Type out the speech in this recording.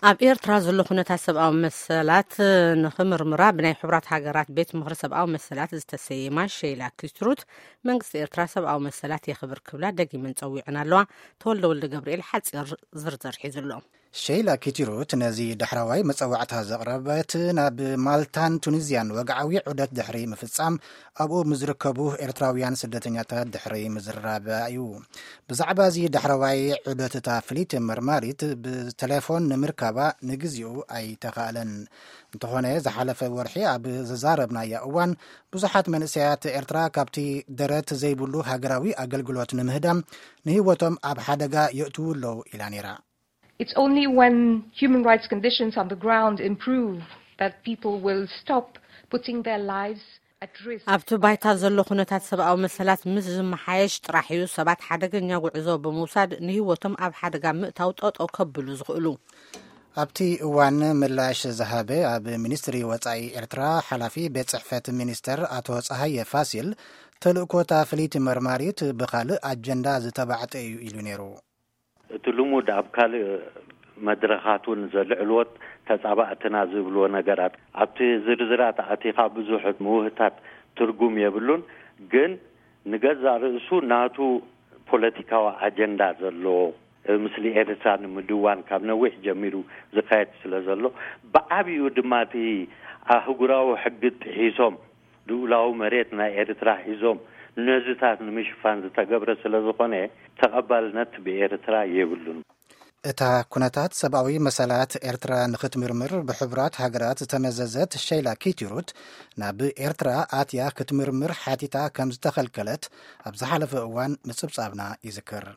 ኣብ ኤርትራ ዘሎ ኩነታት ሰብኣዊ መሰላት ንኽምርምራ ብናይ ሕቡራት ሃገራት ቤት ምኽሪ ሰብኣዊ መሰላት ዝተሰየማ ሸይላ ኪትሩት፣ መንግስቲ ኤርትራ ሰብኣዊ መሰላት የኽብር ክብላ ደጊመን ጸዊዐን ኣለዋ። ተወልደ ወልደ ገብርኤል ሓጺር ዝርዝር ሒዙ ኣሎ። ሸይላ ኪትሩት ነዚ ዳሕረዋይ መጸዋዕታ ዘቕረበት፣ ናብ ማልታን ቱኒዝያን ወግዓዊ ዑደት ድሕሪ ምፍጻም፣ ኣብኡ ምስ ዝርከቡ ኤርትራውያን ስደተኛታት ድሕሪ ምዝራብ እዩ። ብዛዕባ እዚ ዳሕረዋይ ዑደት እታ ፍልይቲ መርማሪት ብቴሌፎን ንምርካባ ንግዚኡ ኣይተኻእለን። እንተኾነ፣ ዝሓለፈ ወርሒ ኣብ ዘዛረብናያ እዋን፣ ብዙሓት መንእሰያት ኤርትራ ካብቲ ደረት ዘይብሉ ሃገራዊ ኣገልግሎት ንምህዳም ንህይወቶም ኣብ ሓደጋ የእትዉ ኣለዉ ኢላ ነይራ። It's only when human rights conditions on the ground improve that people will stop putting their lives at risk. ኣብቲ ባይታ ዘሎ ኩነታት ሰብኣዊ መሰላት ምስ ዝመሓየሽ ጥራሕ እዩ ሰባት ሓደገኛ ጉዕዞ ብምውሳድ ንህይወቶም ኣብ ሓደጋ ምእታው ጠጠው ከብሉ ዝኽእሉ። ኣብቲ እዋን ምላሽ ዝሃበ ኣብ ሚኒስትሪ ወጻኢ ኤርትራ ሓላፊ ቤት ጽሕፈት ሚኒስተር ኣቶ ጸሃየ ፋሲል፣ ተልእኮታ ፍልይቲ መርማሪት ብኻልእ ኣጀንዳ ዝተባዕጠ እዩ ኢሉ ነይሩ። እቲ ልሙድ ኣብ ካልእ መድረኻት እውን ዘልዕልዎት ተጻባእትና ዝብልዎ ነገራት ኣብቲ ዝርዝራት ኣቲኻ ብዙሕ ምውህታት ትርጉም የብሉን። ግን ንገዛእ ርእሱ ናቱ ፖለቲካዊ ኣጀንዳ ዘለዎ፣ ምስሊ ኤርትራ ንምድዋን ካብ ነዊሕ ጀሚሩ ዝካየድ ስለ ዘሎ፣ ብዓቢኡ ድማ እቲ ኣህጉራዊ ሕጊ ጥሒሶም ልኡላዊ መሬት ናይ ኤርትራ ሒዞም ነዚታት ንምሽፋን ዝተገብረ ስለ ዝኾነ ተቐባልነት ብኤርትራ የብሉን። እታ ኩነታት ሰብኣዊ መሰላት ኤርትራ ንኽትምርምር ብሕቡራት ሃገራት ዝተመዘዘት ሸይላ ኪትሩት፣ ናብ ኤርትራ ኣትያ ክትምርምር ሓቲታ ከም ዝተኸልከለት ኣብ ዝሓለፈ እዋን ምጽብጻብና ይዝክር።